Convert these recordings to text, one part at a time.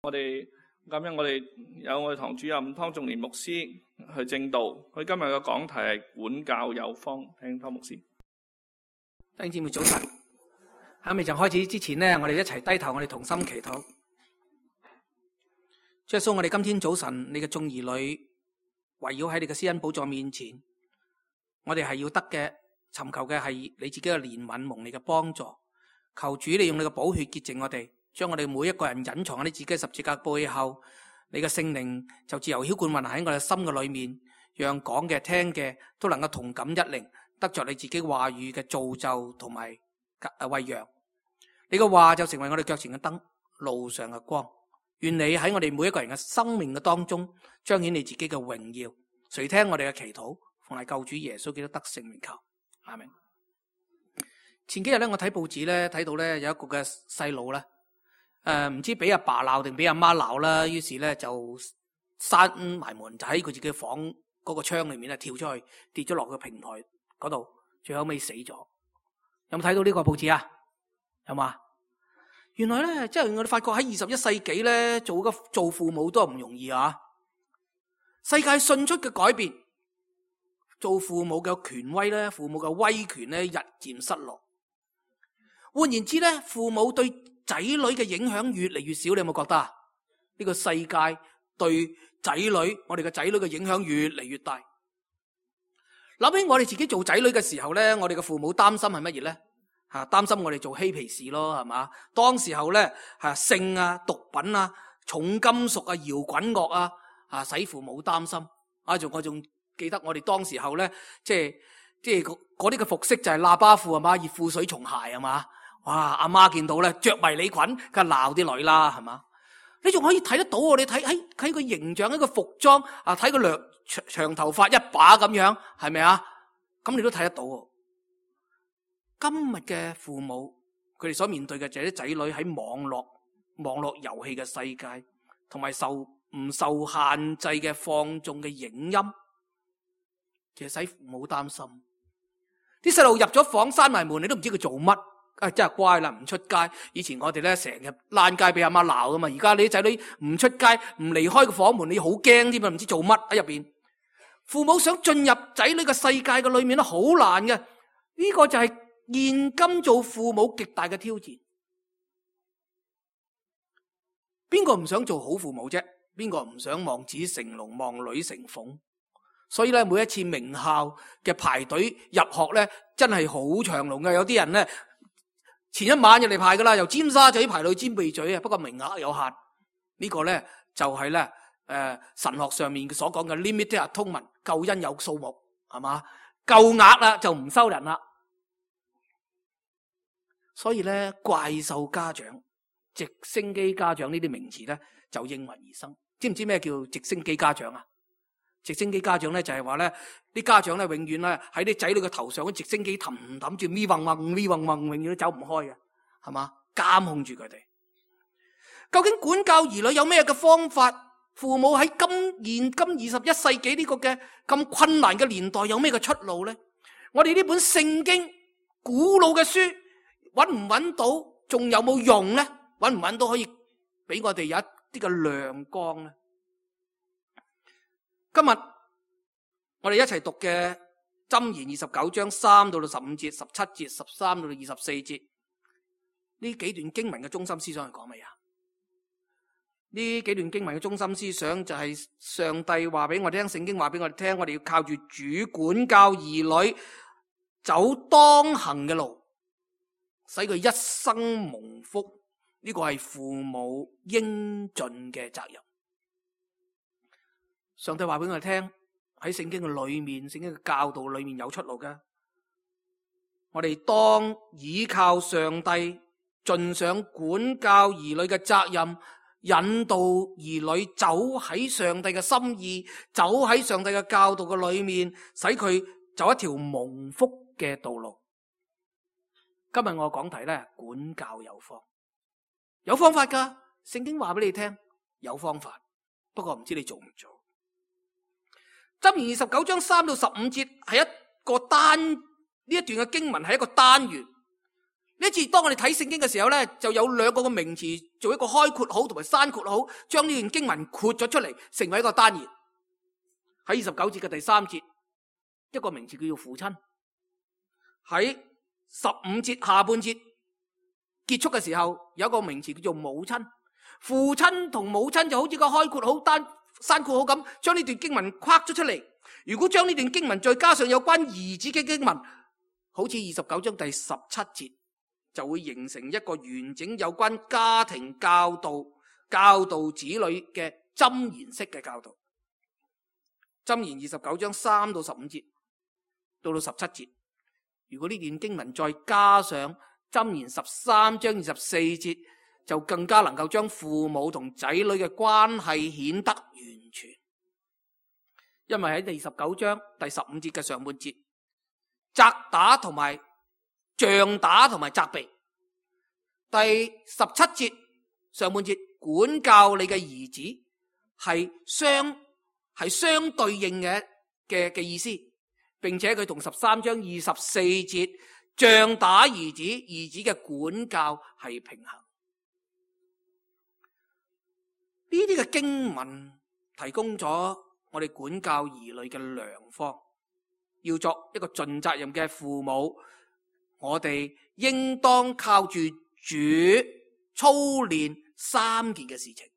我哋有我哋堂主任湯仲年牧師去證道，佢今日嘅講題係管教有方，聽湯牧師。弟兄姊妹早晨，喺未就開始之前呢，我哋一齊低頭，我哋同心祈禱。主耶穌，我哋今天早晨，你嘅眾兒女圍繞喺你嘅施恩寶座面前，我哋係要得嘅，尋求嘅係你自己嘅憐憫，蒙你嘅幫助。求主你用你嘅寶血潔淨我哋，將我哋每一個人隱藏喺你自己嘅十字架背後，你嘅聖靈就自由澆灌運行喺我哋心嘅裏面，讓講嘅聽嘅都能夠同感一靈，得着你自己話語嘅造就同埋餵養。你嘅話就成為我哋腳前嘅燈，路上嘅光。願你喺我哋每一個人嘅生命嘅當中彰顯你自己嘅榮耀。垂聽我哋嘅祈禱，奉係救主耶穌基督得聖名求，阿們。前幾日咧，我睇報紙咧，睇到咧有一個嘅細路咧，唔知俾阿爸鬧定俾阿媽鬧啦，於是咧就閂埋門，就喺佢自己房嗰個窗裏面咧跳出去，跌咗落個平台嗰度，最後尾死咗。有冇睇到呢個報紙啊？有嘛？原來咧，即係我哋發覺喺21世紀咧，做父母都係唔容易啊！世界迅速嘅改變，做父母嘅權威咧，父母嘅威權咧日漸失落。換言之咧，父母對仔女嘅影響越嚟越少，你有冇覺得啊？呢個世界對仔女，我哋嘅仔女嘅影響越嚟越大。諗起我哋自己做仔女嘅時候咧，我哋嘅父母擔心係乜嘢咧？擔心我哋做嬉皮士咯，係嘛？當時候咧，性啊、毒品啊、重金屬啊、搖滾樂啊，使父母擔心。我仲記得我哋當時候咧，即係嗰啲嘅服飾就係喇叭褲係嘛，熱褲水松鞋係嘛。哇！阿媽見到咧，着迷你裙，梗係鬧啲女啦，係嘛？你仲可以睇得到喎？你睇個形象，一個服裝啊，睇個長頭髮一把咁樣，係咪啊？咁你都睇得到喎。今日嘅父母，佢哋所面對嘅就係啲仔女喺網絡遊戲嘅世界，同埋唔受限制嘅放縱嘅影音，其實使父母擔心。啲細路入咗房閂埋門，你都唔知佢做乜。真係乖啦，唔出街。以前我哋咧成日爛街俾阿媽鬧噶嘛，而家你啲仔女唔出街，唔離開個房門，你好驚添啊，唔知做乜喺入邊。父母想進入仔女嘅世界嘅裏面咧，好難嘅。呢個就係現今做父母極大嘅挑戰。邊個唔想做好父母啫？邊個唔想望子成龍，望女成鳳？所以咧，每一次名校嘅排隊入學咧，真係好長龍嘅。有啲人咧，前一晚就嚟排噶啦，由尖沙咀排到尖鼻咀啊。不過名額有限，呢個咧就係咧神學上面所講嘅 limited atonement， 救恩有數目，係嘛？夠額啦就唔收人啦。所以咧，怪獸家長、直升機家長呢啲名詞咧就應運而生。知唔知咩叫直升機家長啊？直升機家長咧就係話咧，啲家長咧永遠咧喺啲仔女嘅頭上，啲直升機氹住咪嗡嗡，永遠都走唔開嘅，係嘛？監控住佢哋。究竟管教兒女有咩嘅方法？父母喺現今21世紀呢個嘅咁困難嘅年代有咩嘅出路咧？我哋呢本聖經古老嘅書揾唔揾到？仲有冇用咧？揾唔揾到可以俾我哋有一啲嘅亮光咧？今日我哋一齊讀嘅箴言29章3到15節、17節、13到24節，呢幾段經文嘅中心思想係講乜嘢？呢幾段經文嘅中心思想就係上帝話俾我哋聽，聖經話俾我哋聽，我哋要靠住主管教兒女，走當行嘅路，使佢一生蒙福。呢個係父母應盡嘅責任。上帝話俾我哋聽，喺聖經嘅裏面，聖經嘅教導裏面有出路嘅。我哋當倚靠上帝，盡上管教兒女嘅責任，引導兒女走喺上帝嘅心意，走喺上帝嘅教導嘅裏面，使佢走一條蒙福嘅道路。今日我講題咧，管教有方，有方法噶。聖經話俾你聽，有方法，不過唔知你做唔做。箴言29章3到15節係一個呢一段嘅經文係一個單元，呢次當我哋睇聖經嘅時候咧，就有兩個嘅名詞做一個開括號同埋閂括號，將呢段經文括咗出嚟，成為一個單元。喺29節嘅第3節，一個名詞叫做父親。喺15節下半節結束嘅時候，有一個名詞叫做母親。父親同母親就好似個開括號單閂括號咁，將呢段經文框咗出嚟。如果將呢段經文再加上有關兒子嘅經文，好似29章第17節，就會形成一個完整有關家庭教導子女嘅箴言式嘅教導。箴言29章3到15節到17節，如果呢段經文再加上箴言13章24節，就更加能夠將父母同仔女嘅關係顯得完全。因為喺第19章第15節嘅上半節，責打同埋杖打同埋責備；第17節上半節管教你嘅兒子，係相對應嘅意思，並且佢同13章24節杖打兒子嘅管教係平衡。呢啲嘅經文提供咗我哋管教兒女嘅良方。要作一個盡責任嘅父母，我哋應當靠住主操練3件嘅事情。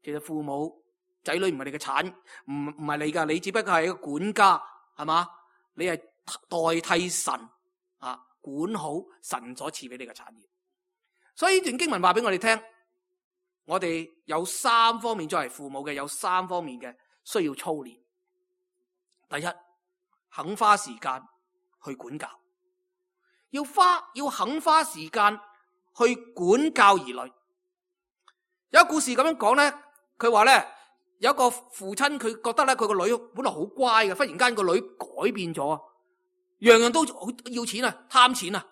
其實父母仔女唔係你嘅產，唔係你噶，你只不過係一個管家，係嘛？你係代替神啊，管好神所賜俾你嘅產業。所以呢段經文話俾我哋聽，我哋有3方面作為父母嘅，有3方面嘅需要操練。第一，肯花時間去管教，要肯花時間去管教兒女。有一個故事咁樣講咧，佢話咧，有一個父親，佢覺得咧，佢個女本來好乖嘅，忽然間個女改變咗，樣樣都要錢啊，貪錢啊，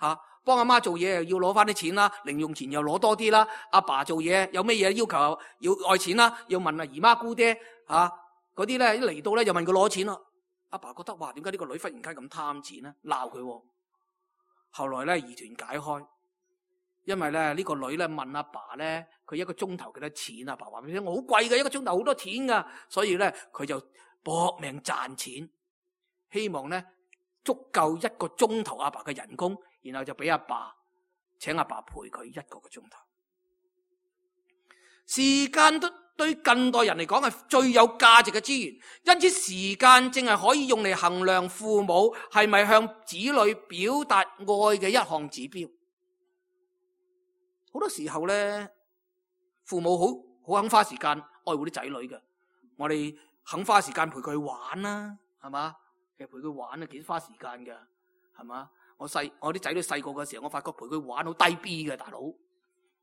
吓，幫阿媽做嘢又要攞翻啲錢啦，零用錢又攞多啲啦，阿爸做嘢有咩嘢要求要愛錢啦，要問阿姨媽姑爹吓嗰啲咧，一嚟到咧又問佢攞錢咯。阿爸覺得哇，點解呢個女忽然間咁貪錢咧？鬧佢。後來咧疑團解開，因為咧呢個女咧問阿爸咧，佢一個鐘頭幾多錢？阿爸話俾佢聽，我好貴嘅，一個鐘頭好多錢噶，所以咧佢就搏命賺錢，希望咧足夠一個鐘頭阿爸嘅人工，然後就俾阿爸請阿爸陪佢一個鐘頭。時間都對近代人嚟講係最有價值嘅資源，因此時間正係可以用嚟衡量父母係咪向子女表達愛嘅一項指標。好多時候咧，父母好肯花時間愛護啲仔女嘅，我哋肯花時間陪佢玩啦，係嘛？其實陪佢玩啊幾花時間㗎，係嘛？我啲仔女細個嘅時候，我發覺陪佢玩好低 B 嘅大佬，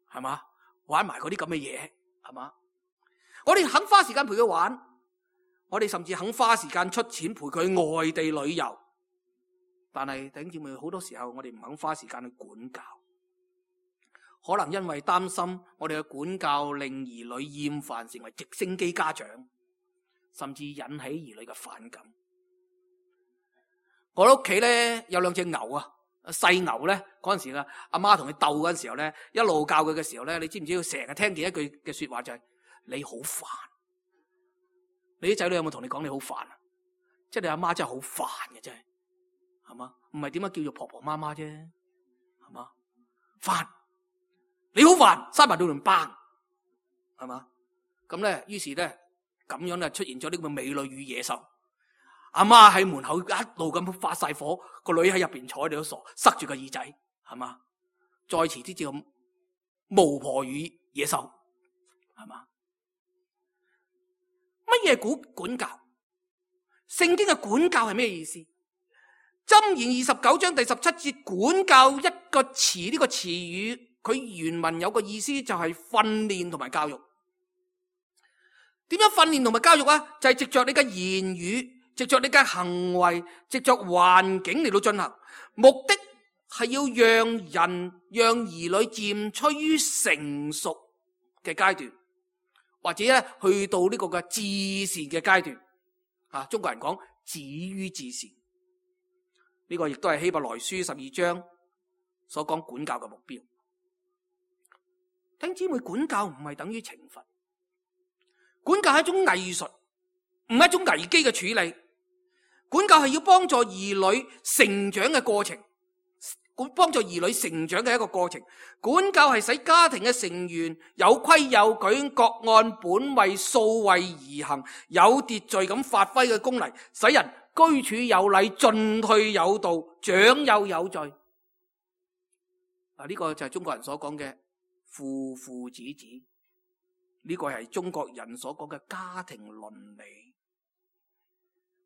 係嘛？玩埋嗰啲咁嘅嘢，係嘛？我哋肯花時間陪佢玩，我哋甚至肯花時間出錢陪佢外地旅遊。但係弟兄姊妹，好多時候我哋唔肯花時間去管教，可能因為擔心我哋嘅管教令兒女厭煩，成為直升機家長，甚至引起兒女嘅反感。我屋企咧有2隻牛啊，細牛咧嗰陣時啦，阿媽同佢鬥嗰陣時候咧，一路教佢嘅時候咧，你知唔知佢成日聽見一句嘅說話就係你好煩。你啲仔女有冇同你講你好煩啊？即係你阿媽真係好煩嘅，真係，係嘛？唔係點解叫做婆婆媽媽啫，係嘛？煩，你好煩，閂埋到門崩，係嘛？咁咧，於是咧咁樣咧出現咗呢個美女與野獸。阿媽喺門口一路咁發晒火，個女喺入邊坐喺度都傻，塞住個耳仔，係嘛？再遲啲就巫婆與野獸，係嘛？乜嘢管教？聖經嘅管教係咩意思？箴言29章第17節，管教一個詞，呢個詞語佢原文有個意思就係訓練同埋教育。點樣訓練同埋教育啊？就係藉着你嘅言語，藉着你嘅行為，藉着環境嚟到進行，目的係要讓兒女漸趨於成熟嘅階段，或者咧去到呢個嘅至善嘅階段。啊，中國人講止於至善，呢個亦都係希伯來書12章所講管教嘅目標。弟兄姊妹，管教唔係等於懲罰，管教係一種藝術，唔係一種危機嘅處理。管教係要幫助兒女成長嘅過程，幫助兒女成長嘅一個過程。管教係使家庭嘅成員有規有矩，各按本位數位而行，有秩序咁發揮嘅功能，使人居處有禮，進退有道，長幼有序。呢個就係中國人所講嘅父父子子，呢個係中國人所講嘅家庭倫理。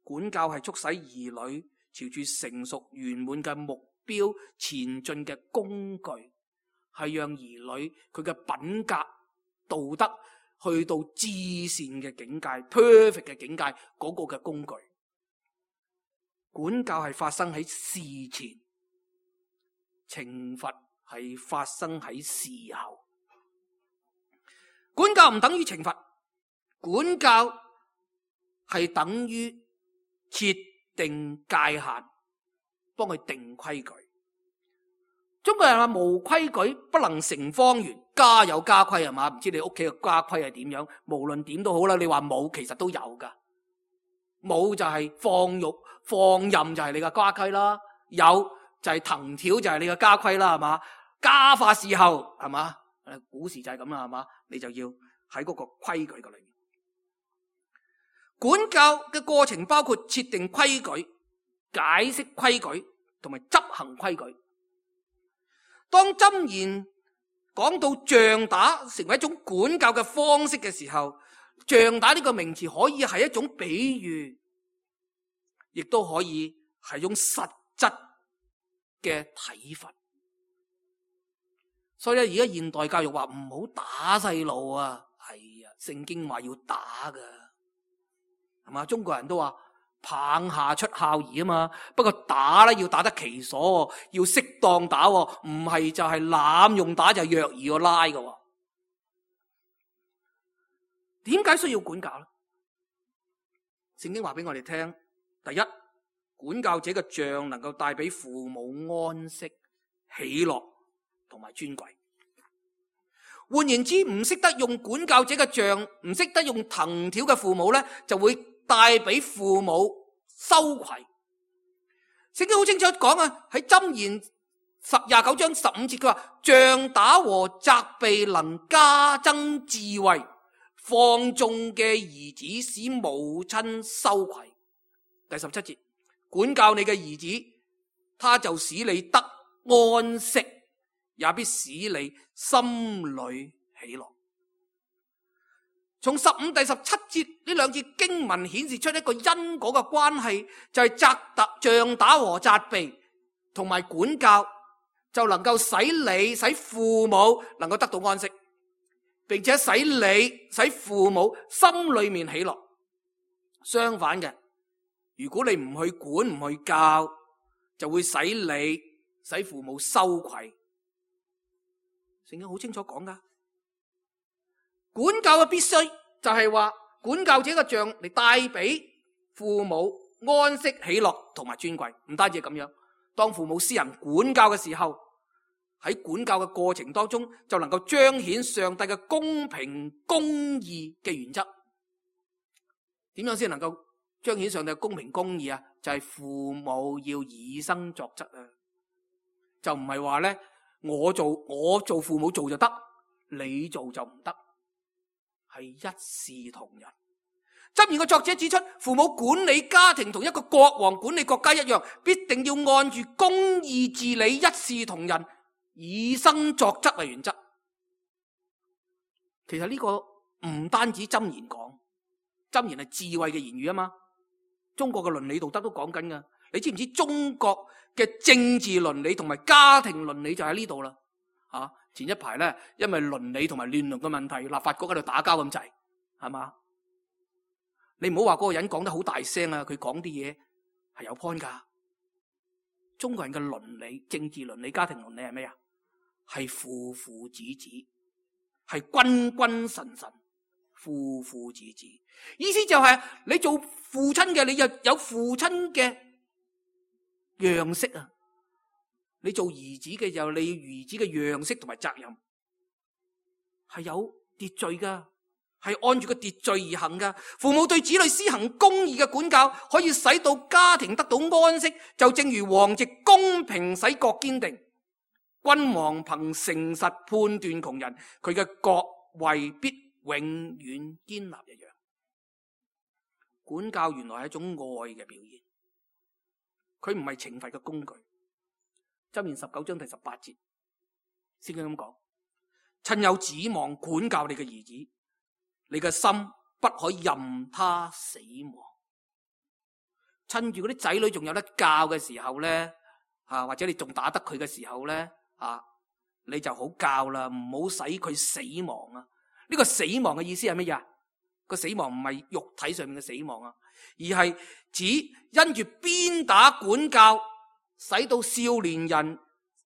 管教係促使兒女朝住成熟圓滿嘅目標前進嘅工具，係讓兒女佢嘅品格道德去到至善嘅境界 perfect 嘅境界嗰個嘅工具。管教係發生喺事前，懲罰係發生喺事後。管教唔等於懲罰，管教係等於設定界限，幫佢定規矩。中國人話無規矩不能成方圓，家有家規係嘛？唔知你屋企嘅家規係點樣？無論點都好啦，你話冇其實都有噶。冇就係放任就係你嘅家規啦，有就係藤條就係你嘅家規啦，係嘛？家法伺候係嘛？古時就係咁啦，係嘛？你就要喺嗰個規矩嘅裏面。管教嘅過程包括設定規矩、解釋規矩同埋執行規矩。當箴言講到杖打成為一種管教嘅方式嘅時候，杖打呢個名詞可以係一種比喻，亦都可以係一種實質嘅體罰。所以咧，而家現代教育話唔好打細路啊，係啊，聖經話要打噶。係嘛？中國人都話棒下出孝兒啊嘛，不過打咧要打得其所，要適當打，唔係就係濫用打，就係虐兒個拉嘅。點解需要管教咧？聖經話俾我哋聽，第一，管教者嘅杖能夠帶俾父母安息、喜樂同埋尊貴。換言之，唔識得用管教者嘅杖，唔識得用藤條嘅父母咧，就會帶俾父母羞愧。聖經好清楚講啊，喺箴言29章15節，佢話杖打和責備能加增智慧，放縱嘅兒子使母親羞愧。第17節，管教你嘅兒子，他就使你得安息，也必使你心裏喜樂。從15、第17節呢兩節經文顯示出一個因果嘅關係，就係杖打和責備同埋管教，就能夠使父母能夠得到安息，並且使父母心裏面喜樂。相反嘅，如果你唔去管唔去教，就會使父母羞愧。聖經好清楚講噶。管教嘅必須就係話，管教者嘅杖嚟帶俾父母安息、喜樂同埋尊貴。唔單止係咁樣，當父母施人管教嘅時候，喺管教嘅過程當中，就能夠彰顯上帝嘅公平公義嘅原則。點樣先能夠彰顯上帝嘅公平公義啊？就係父母要以身作則啊！就唔係話咧，我做父母做就得，你做就唔得。係一視同仁。箴言嘅作者指出，父母管理家庭同一個國王管理國家一樣，必定要按住公義治理，一視同仁，以身作則為原則。其實呢個唔單止箴言講，箴言係智慧嘅言語啊嘛。中國嘅倫理道德都講緊噶。你知唔知中國嘅政治倫理同埋家庭倫理就喺呢度啦？前一排咧，因為倫理同埋亂倫嘅問題，立法局喺度打交咁滯，係嘛？你唔好話嗰個人講得好大聲啊，佢講啲嘢係有 point 噶。中國人嘅倫理、政治倫理、家庭倫理係咩啊？係父父子子，係君君臣臣，父父子子。意思就係你做父親嘅，你又有父親嘅樣式啊。你做兒子嘅時候，你要兒子嘅樣式同埋責任係有秩序噶，係按住個秩序而行噶。父母對子女施行公義嘅管教，可以使到家庭得到安息，就正如王席公平使國堅定，君王憑誠實判斷窮人，佢嘅國位必永遠堅立一樣。管教原來係一種愛嘅表現，佢唔係懲罰嘅工具。箴言19章第18節，聖經咁講：趁有指望管教你嘅兒子，你嘅心不可任他死亡。趁住嗰啲仔女仲有得教嘅時候咧，或者你仲打得佢嘅時候咧，你就好教啦，唔好使佢死亡啊！呢個死亡嘅意思係乜嘢？個死亡唔係肉體上面嘅死亡啊，而係指因住鞭打管教，使到少年人、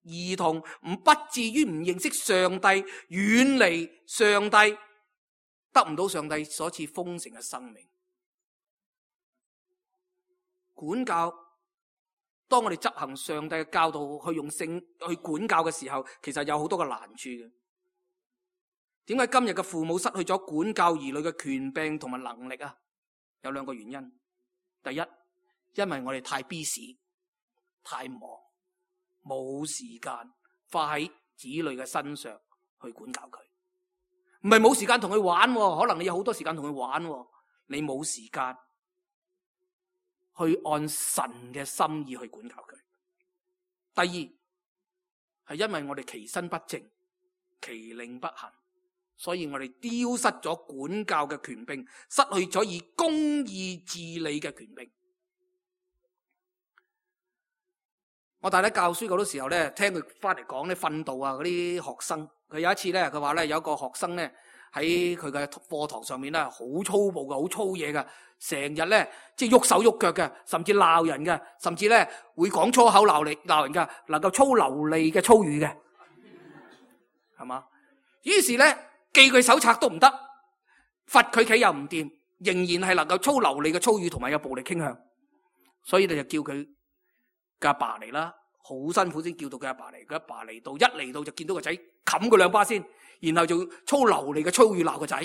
兒童不至於唔認識上帝，遠離上帝，得唔到上帝所賜豐盛嘅生命。管教，當我哋執行上帝嘅教導，去用性去管教嘅時候，其實有好多嘅難處嘅。點解今日嘅父母失去咗管教兒女嘅權柄同埋能力啊？有兩個原因。第一，因為我哋太 busy， 太忙，冇時間花喺子女嘅身上去管教佢。唔係冇時間同佢玩，可能你有好多時間同佢玩，你冇時間去按神嘅心意去管教佢。第二，係因為我哋其身不正，其令不行，所以我哋丟失咗管教嘅權柄，失去咗以公義治理嘅權柄。我大家教書嗰啲時候咧，聽佢翻嚟講咧訓導啊嗰啲學生，佢有一次咧，佢話咧有一個學生咧喺佢嘅課堂上面咧好粗暴嘅，好粗嘢嘅，成日咧即係喐手喐腳嘅，甚至鬧人嘅，甚至咧會講粗口鬧人嘅，能夠粗流利嘅粗語嘅，係嘛？於是咧記佢手冊都唔得，罰佢企又唔掂，仍然係能夠粗流利嘅粗語同埋有暴力傾向，所以你就叫佢嘅阿爸嚟啦，好辛苦先叫到佢阿爸嚟。佢阿爸嚟到，一嚟到就見到個仔冚佢兩巴先，然後就粗流利嘅粗語鬧個仔。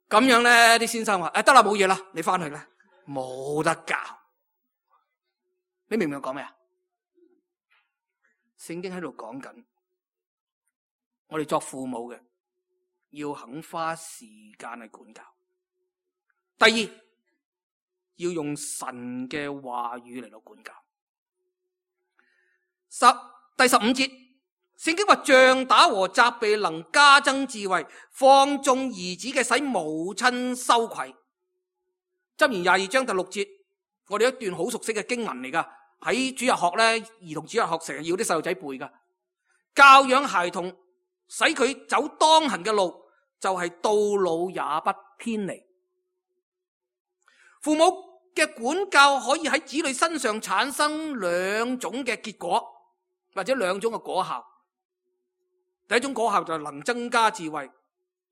咁樣咧，啲先生話：得啦，冇嘢啦，你翻去啦，冇得教。你明唔明我講咩啊？聖經喺度講緊，我哋作父母嘅要肯花時間去管教。第二，要用神嘅話語嚟到管教。第15節，聖經話杖打和責備能加增智慧，放縱兒子嘅使母親羞愧。箴言22章第6節，我哋一段好熟悉嘅經文嚟噶，喺主日學咧，兒童主日學成日要啲細路仔背噶。教養孩童，使佢走當行嘅路，就係到老也不偏離。父母嘅管教可以喺子女身上產生兩種嘅結果，或者兩種嘅果效。第一種果效就係能增加智慧，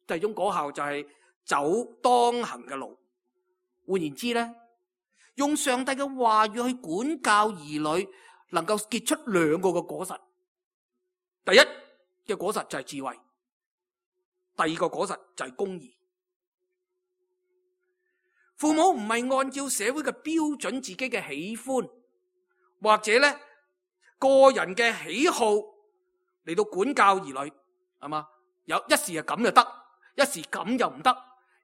第二種果效就係走當行嘅路。換言之咧，用上帝嘅話語去管教兒女，能夠結出兩個嘅果實。第一嘅果實就係智慧，第二個果實就係公義。父母唔係按照社會嘅標準自己嘅喜歡，或者咧個人嘅喜好嚟到管教兒女，係嘛？有一時係咁就得，一時咁又唔得，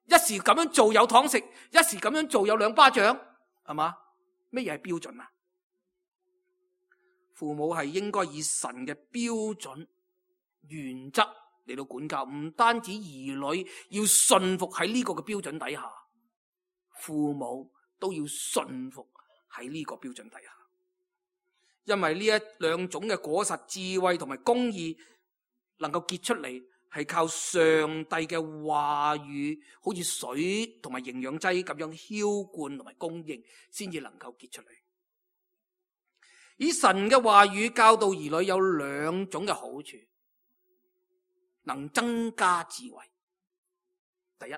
一時咁樣做有糖食，一時咁樣做有兩巴掌，係嘛？咩嘢係標準啊？父母係應該以神嘅標準原則嚟到管教，唔單止兒女要順服喺呢個嘅標準底下，父母都要順服喺呢個標準底下。因為呢一兩種嘅果實，智慧同埋公義能夠結出嚟，係靠上帝嘅話語，好似水同埋營養劑咁樣澆灌同埋供應，先至能夠結出嚟。以神嘅話語教導兒女有兩種嘅好處，能增加智慧。第一，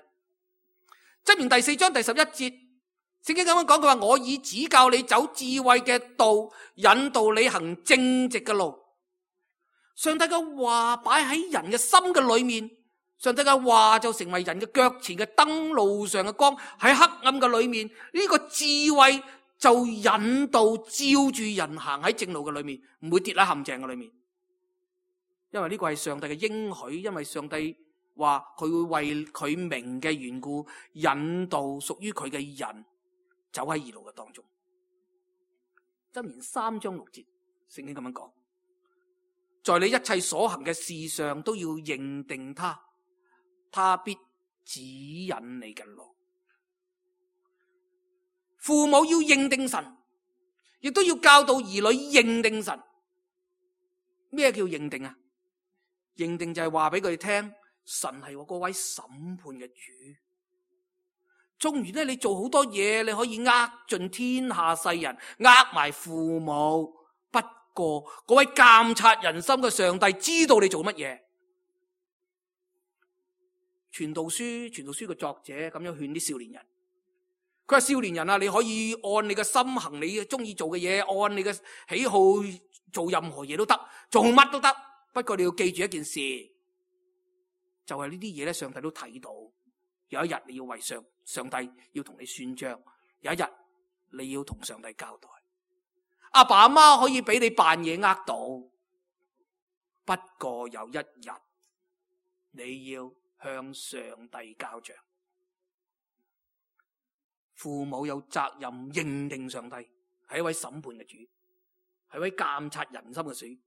箴言第4章第11節，聖經咁樣講，佢話我已指教你走智慧嘅道，引導你行正直嘅路。上帝嘅話擺喺人嘅心嘅裏面，上帝嘅話就成為人嘅腳前嘅燈，路上嘅光。喺黑暗嘅裏面，呢個智慧就引導照住人行喺正路嘅裏面，唔會跌喺陷阱嘅裏面。因為呢個係上帝嘅應許，因為上帝話佢會為佢名嘅緣故引導屬於佢嘅人走喺義路嘅當中。箴言3章6節，聖經咁樣講，在你一切所行嘅事上都要認定他，他必指引你嘅路。父母要認定神，亦都要教導兒女認定神。咩叫認定啊？認定就係話俾佢哋聽，神係我嗰位審判嘅主。縱然咧，你做好多嘢，你可以呃盡天下世人，呃埋父母。不過嗰位監察人心嘅上帝知道你做乜嘢。傳道書嘅作者咁樣勸啲少年人，佢話少年人啊，你可以按你嘅心行你中意做嘅嘢，按你嘅喜好做任何嘢都得，做乜都得。不過你要記住一件事，就係呢啲嘢咧，上帝都睇到。有一日你要為上帝要同你算賬，有一日你要同上帝交代。阿爸阿媽可以俾你扮嘢呃到，不過有一日你要向上帝交賬。父母有責任認定上帝係一位審判嘅主，係一位監察人心嘅主，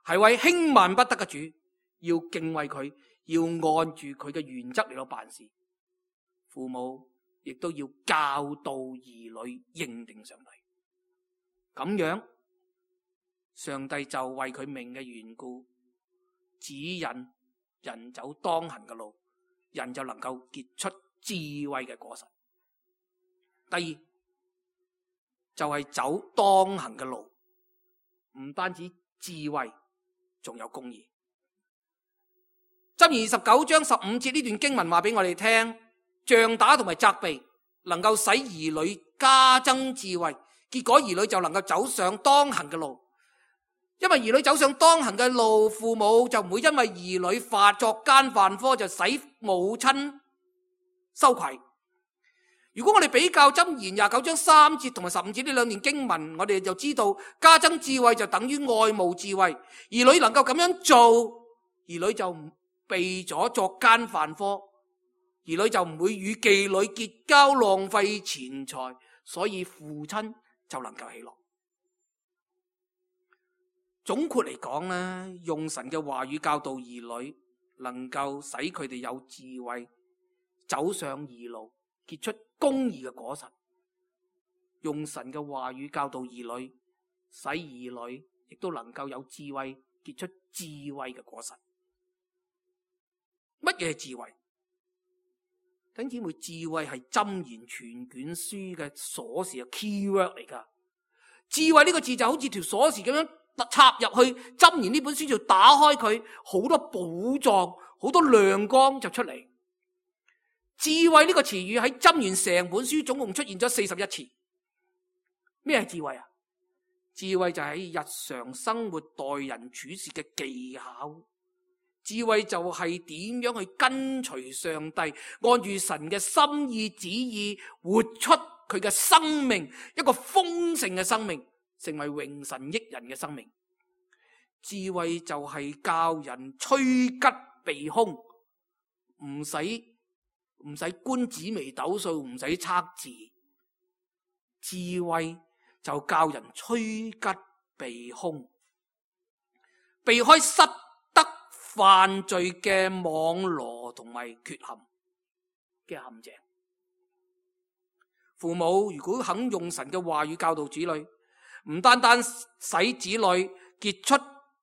係位輕慢不得嘅主。要敬畏佢，要按住佢嘅原則嚟到辦事。父母亦都要教導兒女認定上帝，咁樣上帝就為佢名嘅緣故指引人走當行嘅路，人就能夠結出智慧嘅果實。第二就係走當行嘅路，唔單止智慧，仲有公義。箴言29章15節呢段經文話俾我哋聽，杖打同埋責備能夠使兒女加增智慧，結果兒女就能夠走上當行嘅路。因為兒女走上當行嘅路，父母就唔會因為兒女作奸犯科就使母親羞愧。如果我哋比較箴言29章3節同埋15節呢兩段經文，我哋就知道加增智慧就等於愛慕智慧。兒女能夠咁樣做，兒女就唔避咗作奸犯科，兒女就唔會與妓女結交浪費錢財，所以父親就能夠喜樂。總括嚟講咧，用神嘅話語教導兒女，能夠使佢哋有智慧，走上義路，結出公義嘅果實。用神嘅話語教導兒女，使兒女亦都能夠有智慧，結出智慧嘅果實。乜嘢係智慧？弟兄姊妹，智慧係箴言全卷書嘅鎖匙嘅 keyword 嚟噶。智慧呢個字就好似條鎖匙咁樣插入去箴言呢本書，就打開佢，好多寶藏，好多亮光就出嚟。智慧呢個詞語喺箴言成本書總共出現咗41次。咩係智慧啊？智慧就係日常生活待人處事嘅技巧。智慧就係點樣去跟隨上帝，按住神嘅心意旨意，活出佢嘅生命，一個豐盛嘅生命，成為榮神益人嘅生命。智慧就係教人趨吉避凶，唔使觀紫微斗數，唔使測字。智慧就教人趨吉避凶，避開失德犯罪嘅網羅同埋缺陷嘅陷阱。父母如果肯用神嘅話語教導子女，唔單單使子女結出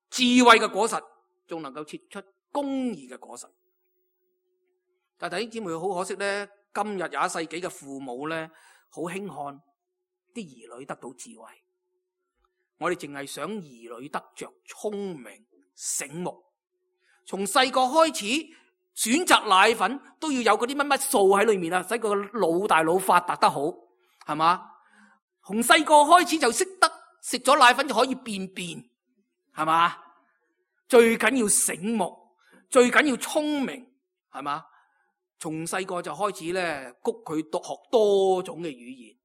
智慧嘅果實，仲能夠結出公義嘅果實。但弟兄姊妹，好可惜咧，今日21世紀嘅父母咧，好輕看啲兒女得到智慧。我哋淨係想兒女得着聰明醒目，從細個開始選擇奶粉都要有嗰啲乜乜素喺裏面啊，使個腦大腦發達得好。係嘛？從細個開始就識得食咗奶粉就可以便便，係嘛？最緊要醒目，最緊要聰明，係嘛？從細個就開始咧，谷佢學多種嘅語言，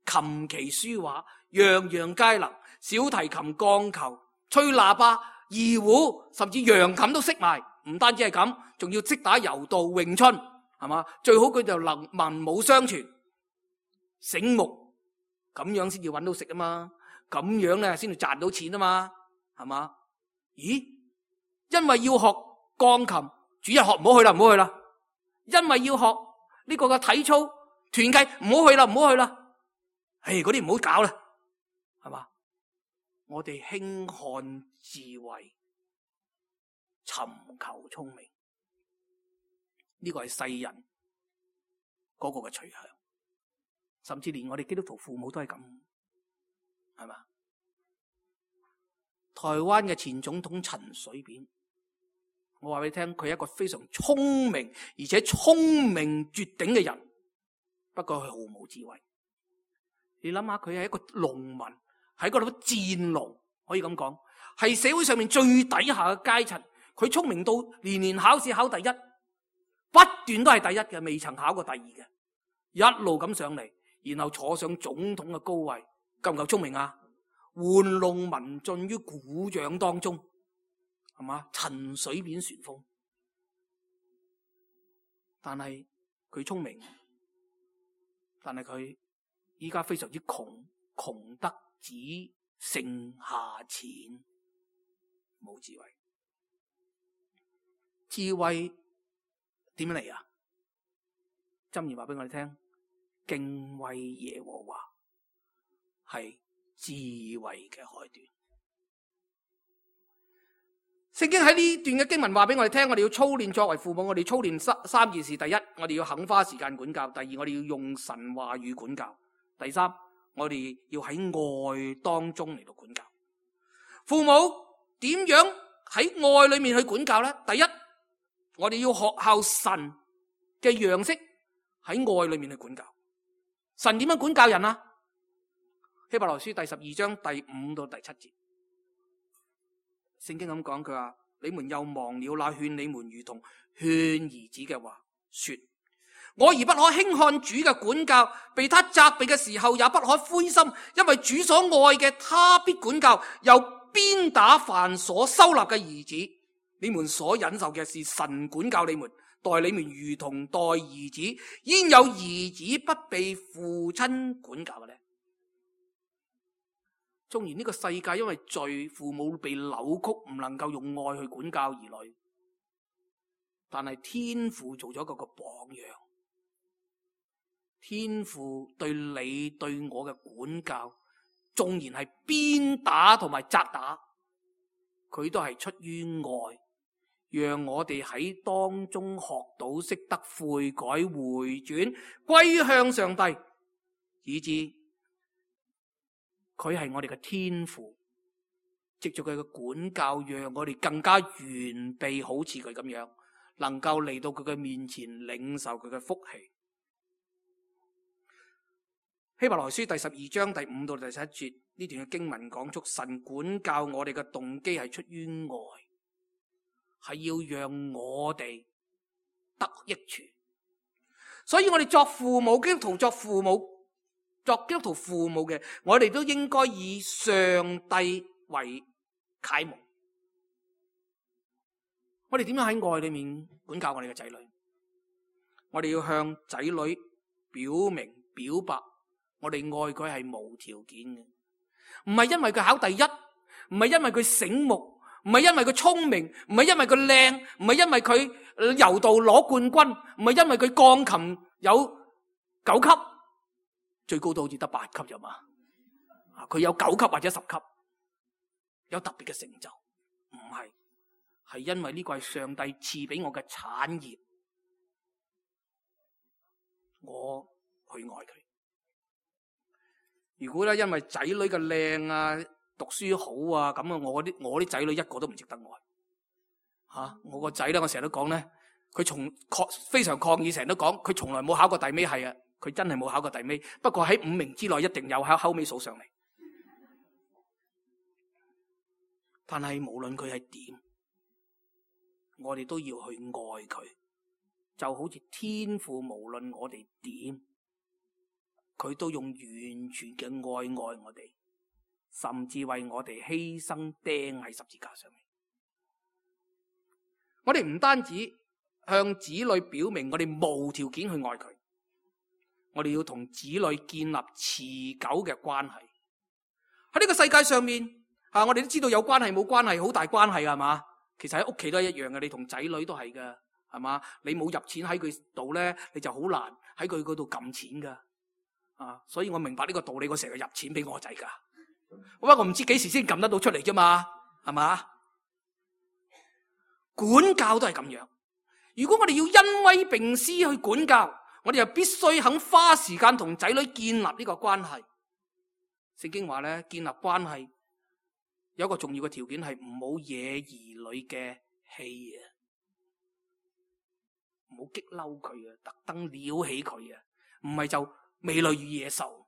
琴棋書畫樣樣皆能，小提琴、鋼琴、吹喇叭、二胡，甚至揚琴都識埋。唔單止係咁，仲要識打柔道、詠春，係嘛？最好佢就能文武雙全，醒目，咁樣先至搵到食啊嘛！咁樣咧先至賺到錢啊嘛，係嘛？咦？因為要學鋼琴，主日學唔好去啦，唔好去啦。因為要學呢個嘅體操團契，唔好去啦，唔好去啦。嗰啲唔好搞啦，係嘛？我哋輕看智慧，尋求聰明，呢個係世人嗰個嘅取向，甚至連我哋基督徒父母都係咁，係嘛？台灣嘅前總統陳水扁，我話俾你聽，佢係一個非常聰明而且聰明絕頂嘅人，不過佢毫無智慧。你諗下，佢係一個農民，喺嗰度戰農，可以咁講，係社會上面最底下嘅階層。佢聰明到年年考試考第一，不斷都係第一嘅，未曾考過第二嘅，一路咁上嚟，然後坐上總統嘅高位，夠唔夠聰明啊？玩弄民眾於鼓掌當中，係嘛？陳水扁旋風，但係佢聰明，但係佢依家非常之窮，窮得只剩下錢，冇智慧。智慧點樣嚟啊？箴言話俾我哋聽，敬畏耶和華係智慧嘅開端。聖經喺呢段嘅經文話俾我哋聽，我哋要操練作為父母，我哋操練三件事。第一，我哋要肯花時間管教；第二，我哋要用神話語管教；第三，我哋要喺愛當中嚟到管教。父母點樣喺愛裏面去管教呢？第一，我哋要學效神嘅樣式，喺愛裏面去管教。神點樣管教人啊？希伯來書第12章第5到第7節，聖經咁講，佢話：你們又忘了那勸你們如同勸兒子嘅話，說：我兒不可輕看主嘅管教，被他責備嘅時候也不可灰心，因為主所愛嘅他必管教，又鞭打凡所收納嘅兒子。你們所忍受嘅是神管教你們，待你們如同待兒子。焉有兒子不被父親管教嘅呢？縱然呢個世界因為罪，父母被扭曲，唔能夠用愛去管教兒女，但係天父做咗個榜樣。天父對你對我嘅管教，縱然係鞭打同埋責打，佢都係出於愛，讓我哋喺當中學到識得悔改回轉歸向上帝，以致佢係我哋嘅天父，藉住佢嘅管教，讓我哋更加完備，好似佢咁樣，能夠嚟到佢嘅面前領受佢嘅福氣。希伯來書第12章第5到第7節，呢段嘅經文講出神管教我哋嘅動機係出於愛，係要讓我哋得益處。所以我哋作父母，基督徒作父母，作基督徒父母嘅，我哋都應該以上帝為楷模。我哋點樣喺愛裏面管教我哋嘅仔女？我哋要向仔女表明表白，我哋愛佢係無條件嘅，唔係因為佢考第一，唔係因為佢醒目，唔係因為佢聰明，唔係因為佢靚，唔係因為佢柔道攞冠軍，唔係因為佢鋼琴有9級，最高都好似得8級啫嘛。佢有9級或者10級，有特別嘅成就，唔係，係因為呢個係上帝賜俾我嘅產業，我去愛佢。如果咧因為仔女嘅靚啊、讀書好啊咁啊，我啲仔女一個都唔值得愛。我個仔咧，我成日都講咧，佢非常抗議，成日都講佢從來冇考過第尾係啊，佢真係冇考過第尾，不過喺5名之內一定有，後尾數上嚟。但係無論佢係點，我哋都要去愛佢，就好似天父無論我哋點，佢都用完全嘅愛愛我哋，甚至為我哋犧牲釘喺十字架上面。我哋唔單止向子女表明我哋無條件去愛佢，我哋要同子女建立持久嘅關係。喺呢個世界上面，我哋都知道有關係冇關係，好大關係，係嘛？其實喺屋企都係一樣嘅，你同仔女都係㗎，係嘛？你冇入錢喺佢度咧，你就好難喺佢嗰度撳錢噶。所以我明白呢個道理，我成日入錢俾我仔噶。不過我唔知幾時先撳得到出嚟啫嘛，係嘛？管教都係咁樣。如果我哋要恩威並施去管教，我哋就必須肯花時間同仔女建立呢個關係。聖經話咧，建立關係有一個重要嘅條件係唔好惹兒女嘅氣啊，唔好激嬲佢啊，特登撩起佢啊，唔係就美女與野獸。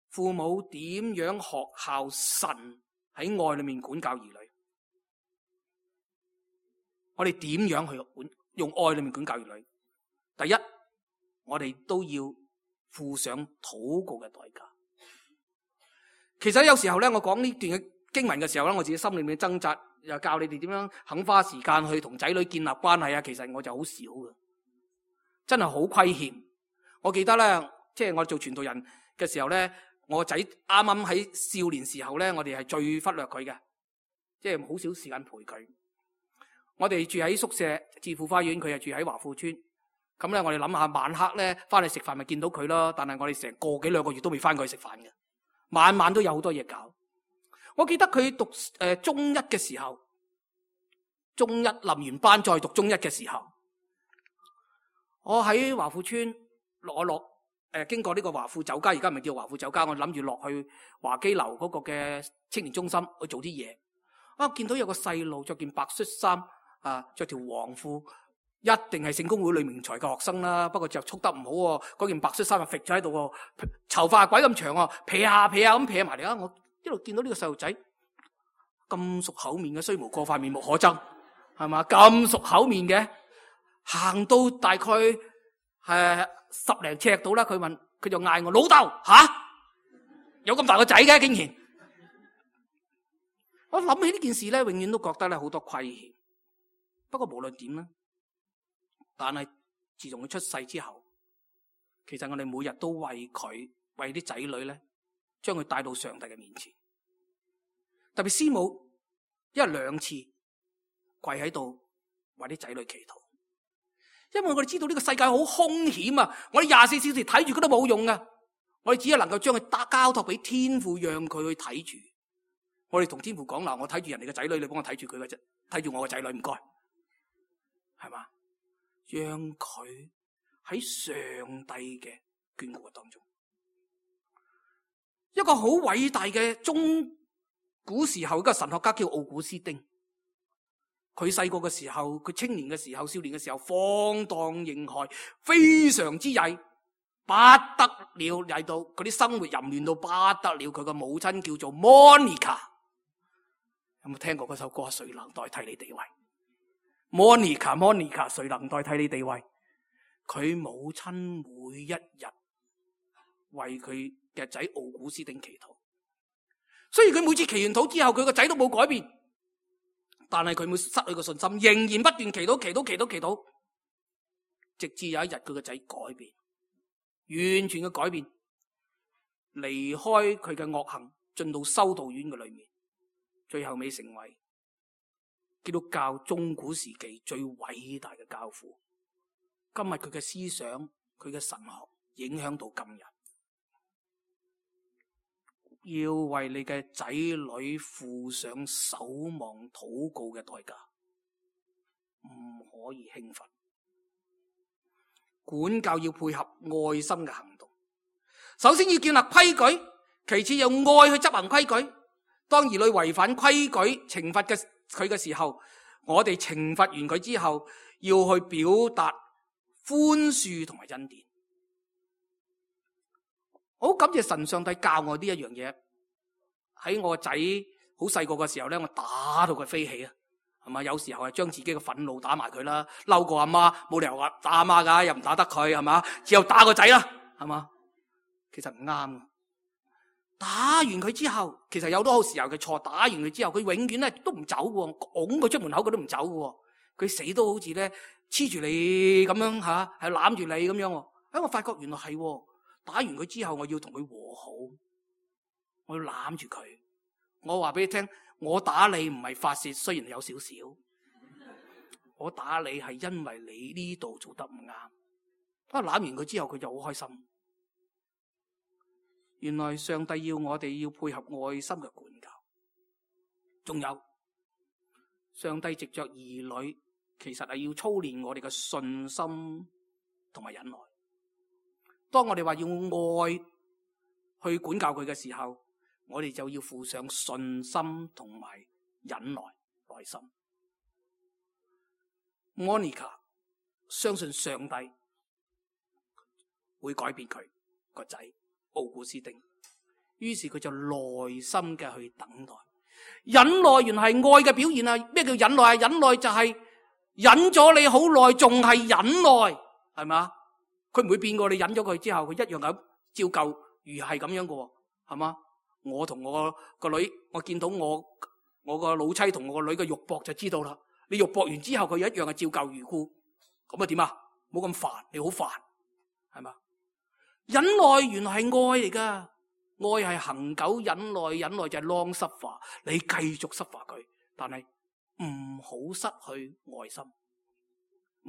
父母點樣學效神喺愛裏面管教兒女？我哋點樣去用愛裏面管教兒女？第一，我哋都要付上禱告嘅代價。其實有時候咧，我講呢段嘅經文嘅時候咧，我自己心裏面掙扎，又教你哋點樣肯花時間去同仔女建立關係啊。其實我就好少嘅，真係好虧欠。我記得咧，即係我做傳道人嘅時候咧，我個仔啱啱喺少年時候咧，我哋係最忽略佢嘅，即係好少時間陪佢。我哋住喺宿舍置富花園，佢係住喺華富村。咁咧，我哋諗下晚黑咧翻去食飯咪見到佢咯。但係我哋成個幾兩個月都未翻過去食飯嘅，晚晚都有好多嘢搞。我記得佢讀中一嘅時候，中一臨完班再讀中一嘅時候，我喺華富村落經過呢個華富酒家，而家唔係叫華富酒家，我諗住落去華基樓嗰個嘅青年中心去做啲嘢。見到有個細路着件白恤衫。着條黃褲，一定係聖公會呂明才嘅學生啦。不過就束得唔好喎，嗰件白恤衫就揈咗喺度喎，頭髮鬼咁長喎，撇下咁撇埋嚟啊！我一路見到呢個細路仔咁熟口面嘅，雖無過塊面目可憎，係嘛？咁熟口面嘅，行到大概10零尺到啦，佢就嗌我老豆有咁大個仔嘅，竟然！我諗起呢件事咧，永遠都覺得咧好多虧欠。不過無論點咧，但係自從佢出世之後，其實我哋每日都為佢，為啲仔女咧，將佢帶到上帝嘅面前。特別師母一日2次跪喺度為啲仔女祈禱，因為我哋知道呢個世界好兇險啊！我哋24小時睇住佢都冇用啊！我哋只係能夠將佢交託俾天父，讓佢去睇住。我哋同天父講嗱，我睇住人哋嘅仔女，你幫我睇住佢嘅啫，睇住我嘅仔女，唔該。係嘛？讓佢喺上帝嘅眷顧當中，一個好偉大嘅中古時候一個神學家叫奧古斯丁。佢細個嘅時候，佢青年嘅時候，少年嘅時候，放蕩形骸，非常之曳，不得了，曳到佢啲生活淫亂到不得了。佢個母親叫做 Monica， 有冇聽過嗰首歌？誰能代替你地位？Monica， 誰能代替你地位？佢母親每一日為佢嘅仔奧古斯丁祈禱，雖然佢每次祈完禱之後，佢個仔都冇改變，但係佢冇失去個信心，仍然不斷祈禱，直至有一日佢個仔改變，完全嘅改變，離開佢嘅惡行，進到修道院嘅裏面，最後尾成為基督教中古時期最偉大嘅教父。今日佢嘅思想，佢嘅神學影響到今日。要為你嘅仔女付上守望禱告嘅代價，唔可以輕忽。管教要配合愛心嘅行動，首先要建立規矩，其次用愛去執行規矩。當兒女違反規矩，懲罰佢嘅時候，我哋懲罰完佢之後，要去表達寬恕同埋恩典。好感謝神上帝教我呢一樣嘢。喺我個仔好細個嘅時候咧，我打到佢飛起啊，係嘛？有時候係將自己嘅憤怒打埋佢啦，嬲過阿媽，冇理由話打阿媽噶，又唔打得佢，係嘛？只有打個仔啦，係嘛？其實唔啱。打完佢之後，其實有多時候佢錯。打完佢之後，佢永遠咧都唔走嘅，拱佢出門口佢都唔走嘅，佢死都好似咧黐住你咁樣吓，係攬住你咁樣。我發覺原來係打完佢之後，我要同佢和好，我要攬住佢。我話俾你聽，我打你唔係發洩，雖然有少少，我打你係因為你呢度做得唔啱。攬完佢之後，佢就好開心。原來上帝要我哋要配合愛心嘅管教，仲有上帝藉着兒女，其實係要操練我哋嘅信心同埋忍耐。當我哋話要愛去管教佢嘅時候，我哋就要附上信心同埋忍耐耐心。Monica 相信上帝會改變佢個仔奧古斯丁，於是佢就耐心嘅去等待。忍耐原來係愛嘅表現啊！咩叫忍耐啊？忍耐就係忍咗你好耐，仲係忍耐，係嘛？佢唔會變過，你忍咗佢之後，佢一樣咁照舊如係咁樣嘅，係嘛？我同我個女，我見到我個老妻同我個女嘅肉搏就知道啦。你肉搏完之後，佢一樣係照舊如故，咁啊點啊？冇咁煩，你好煩，係嘛？忍耐原來係愛嚟噶，愛係恒久忍耐，忍耐就係 long suffer，你繼續 suffer佢，但係唔好失去愛心，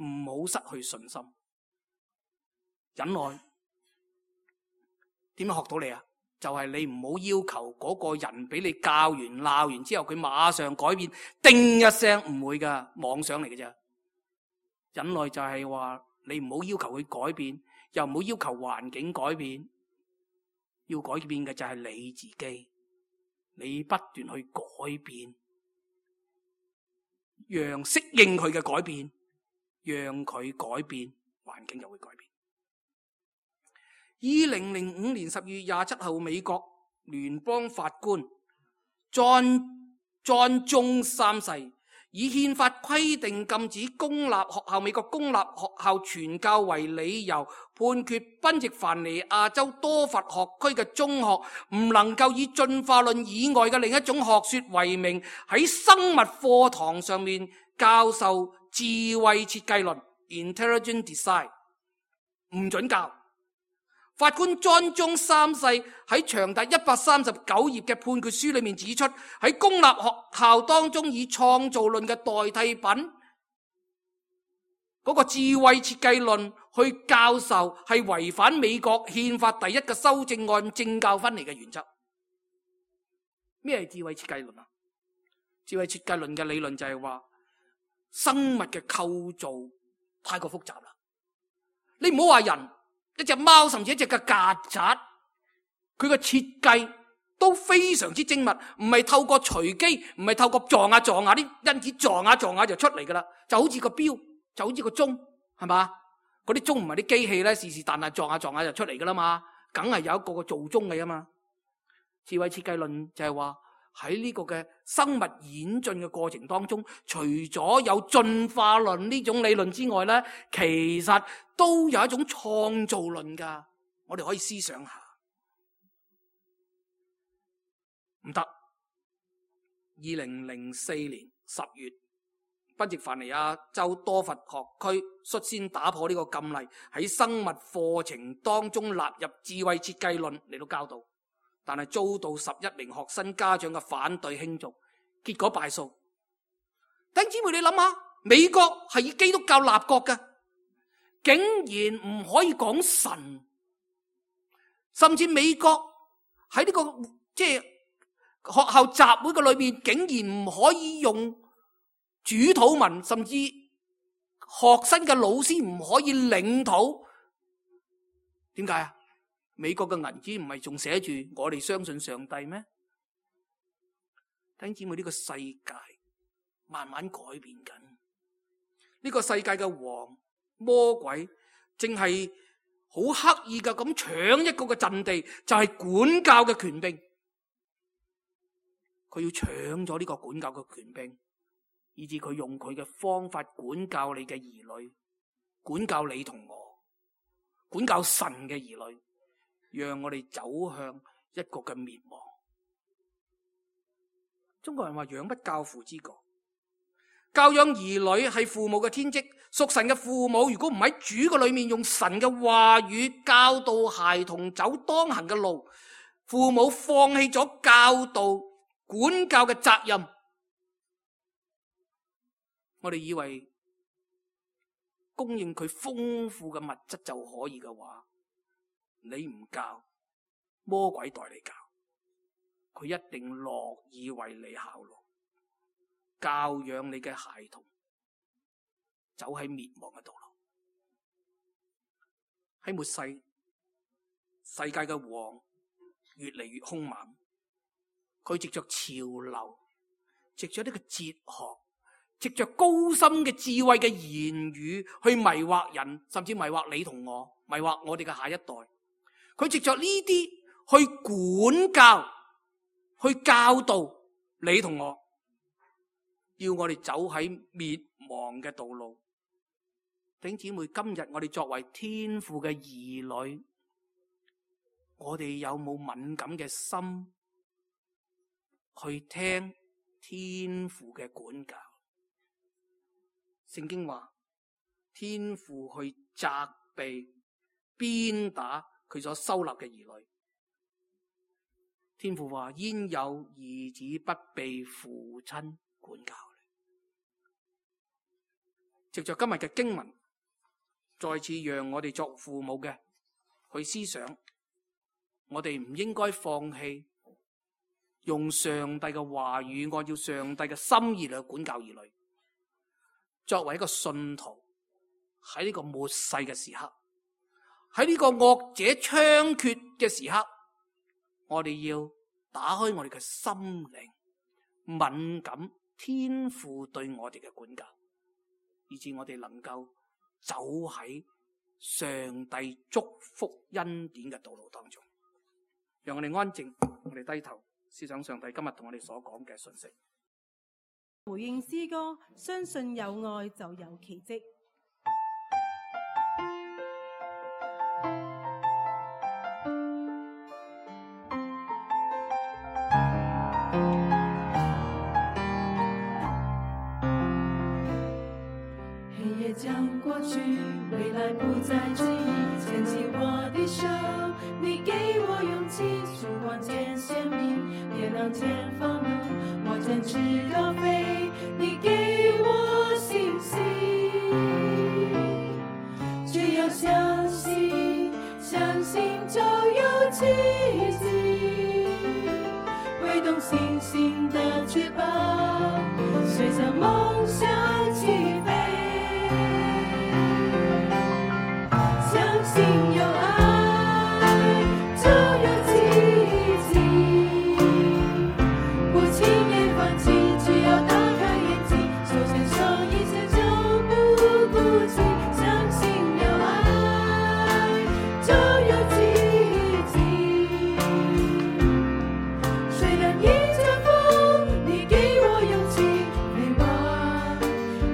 唔好失去信心。忍耐點樣學到你啊？就係你唔好要求嗰個人俾你教完鬧完之後，佢馬上改變，叮一聲，唔會噶，妄想嚟嘅啫。忍耐就係話你唔好要求佢改變，又唔好要求環境改變，要改變嘅就係你自己，你不斷去改變，讓適應佢嘅改變，讓佢改變，環境就會改變。2005年10月27號，美國聯邦法官 John 中3世以憲法規定禁止公立學校、美國公立學校傳教為理由，判決賓夕凡尼亞州多佛學區嘅中學唔能夠以進化論以外嘅另一種學說為名，喺生物課堂上面教授智慧設計論 （Intelligent Design）， 唔准教。法官莊中3世喺長達139頁嘅判決書裏面指出，喺公立學校當中以創造論嘅代替品嗰個智慧設計論去教授，係違反美國憲法第1嘅修正案政教分離嘅原則。咩係智慧設計論啊？智慧設計論嘅理論就係話生物嘅構造太過複雜啦，你唔好話人，一隻貓甚至一隻嘅曱甴，佢個設計都非常之精密，唔係透過隨機，唔係透過撞下啲因子撞下就出嚟噶啦，就好似個錶，就好似個鐘，係嘛？嗰啲鐘唔係啲機器咧，是但係撞下就出嚟噶啦嘛，梗係有一個做鐘嘅啊嘛。智慧設計論就係話喺呢個嘅生物演進嘅過程當中，除咗有進化論呢種理論之外咧，其實都有一種創造論噶，我哋可以思想下。唔得，2004年10月，賓夕凡尼亞州多佛學區率先打破呢個禁例，喺生物課程當中納入智慧設計論嚟到教導，但係遭到11名學生家長嘅反對輕重，結果敗訴。弟兄姊妹，你諗下，美國係以基督教立國嘅，竟然唔可以講神，甚至美國喺呢個學校集會嘅裏面，竟然唔可以用主禱文，甚至學生嘅老師唔可以領禱。點解啊？美國嘅銀紙唔係仲寫住我哋相信上帝咩？弟兄姊妹，呢個世界慢慢改變緊，呢個世界嘅王魔鬼正係好刻意嘅咁搶一個嘅陣地，就係管教嘅權柄。佢要搶咗呢個管教嘅權柄，以致佢用佢嘅方法管教你嘅兒女，管教你同我，管教神嘅兒女，讓我哋走向一個嘅滅亡。中國人話養不教，父之過。教養兒女係父母嘅天職，屬神嘅父母如果唔喺主嘅裏面用神嘅話語教導孩童走當行嘅路，父母放棄咗教導管教嘅責任，我哋以為供應佢豐富嘅物質就可以嘅話，你唔教，魔鬼代你教，佢一定樂意為你效勞，教養你嘅孩童走喺滅亡嘅道路。喺末世，世界嘅王越嚟越兇猛，佢藉着潮流，藉着呢個哲學，藉着高深嘅智慧嘅言語去迷惑人，甚至迷惑你同我，迷惑我哋嘅下一代。佢藉着呢啲去管教，去教導你同我，要我哋走喺滅亡嘅道路。弟兄姊妹，今日我哋作為天父嘅兒女，我哋有冇敏感嘅心去聽天父嘅管教？聖經話天父去責備、鞭打佢所收納嘅兒女。天父話：焉有兒子不被父親管教？藉着今日嘅經文，再次讓我哋作父母嘅去思想，我哋唔應該放棄用上帝嘅話語，按照上帝嘅心意嚟管教兒女。作為一個信徒，喺呢個末世嘅時刻，喺呢個惡者猖獗嘅時刻，我哋要打開我哋嘅心靈，敏感天父對我哋嘅管教，以致我哋能夠走喺上帝祝福恩典嘅道路當中。讓我哋安靜，我哋低頭思想上帝今日同我哋所講嘅信息。回應詩歌，相信有愛就有奇蹟。黑夜將過去，未來不再記憶，牽起我的手，你給我勇氣，曙光漸鮮明，點亮前方路，我展翅高飛，你給我信心，只要相信，相信就有奇蹟，揮動星星的翅膀，隨着夢想起飛。相信有愛就有奇蹟，不輕言放棄，只要打開眼睛，手牽手一切就不孤寂。相信有愛就有奇蹟，雖然迎着風，你給我勇氣，飛往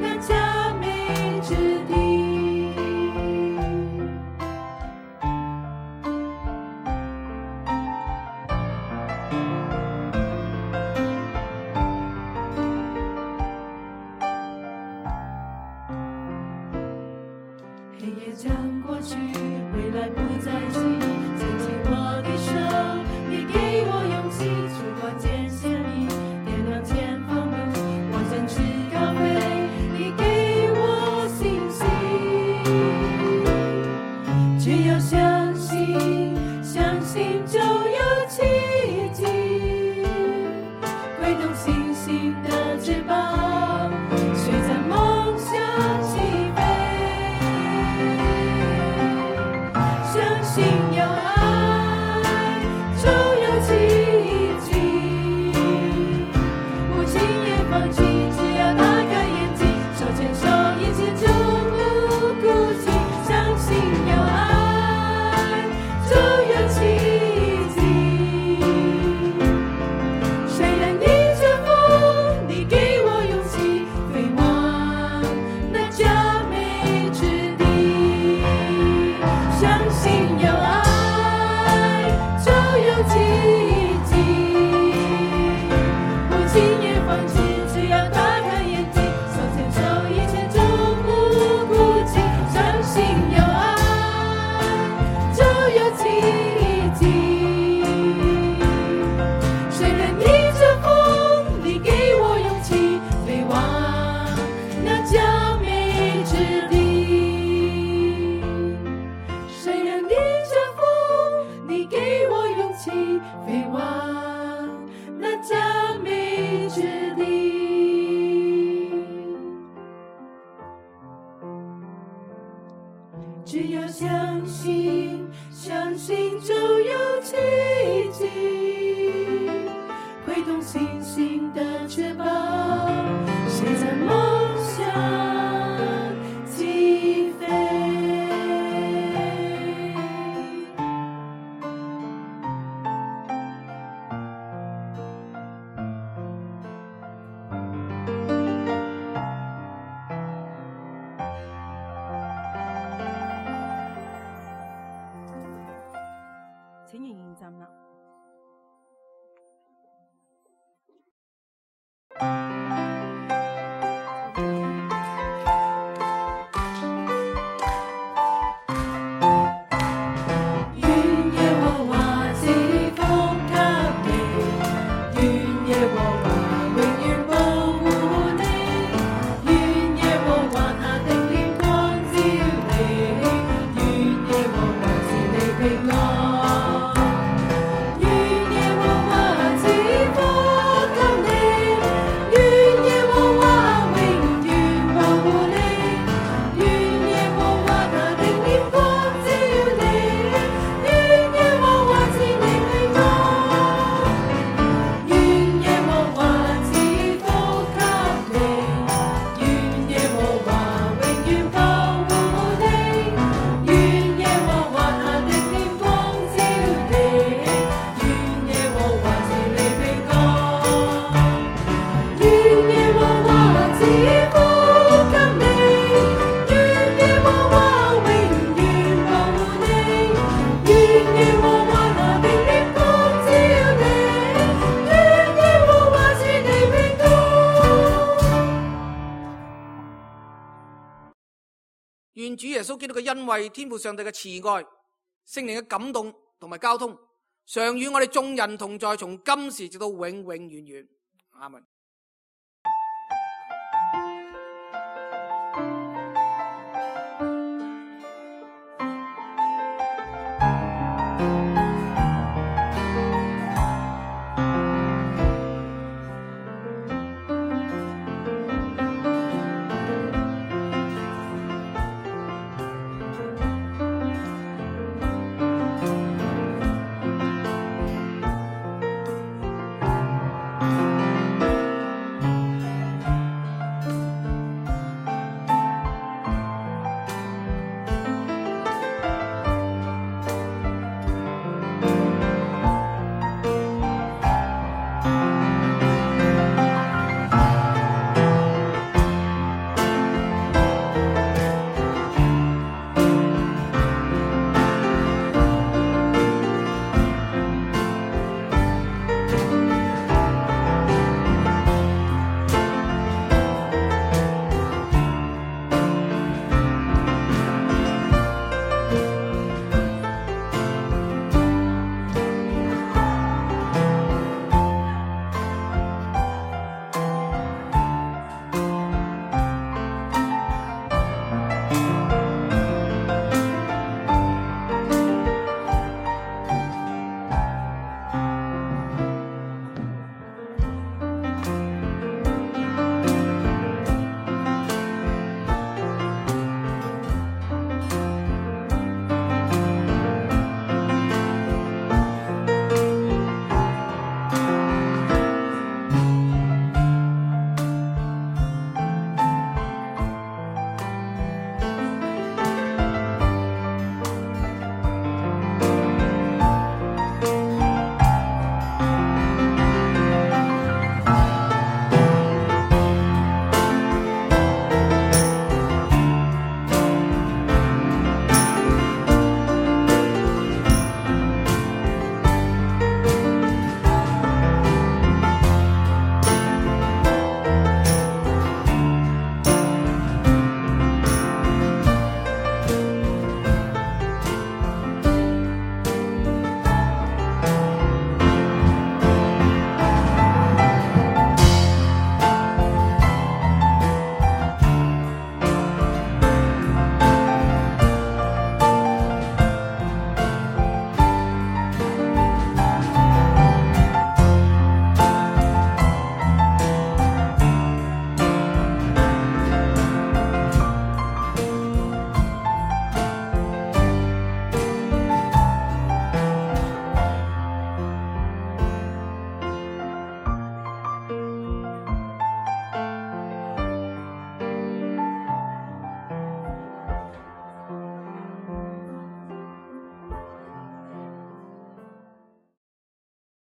那佳美之地。黑夜將過去，未來不再記憶，牽起我的手，你給我勇氣，曙光漸鮮明，點亮前方路，我展翅高飛，你給我信心，只要相信，相信就有奇蹟，揮動星星的翅膀，隨着夢想起飛。相信有只要相信，相信就有奇迹，挥动星星的翅膀，谁在梦想起飞。請仍然站立。願耶和華賜福給你，願耶和華永遠保護你，願耶和華他的臉光照你，願耶和華賜你平安。願主耶穌基督嘅恩惠、天父上帝嘅慈愛、聖靈嘅感動同埋交通，常與我哋眾人同在，從今時直到永永遠遠。阿們。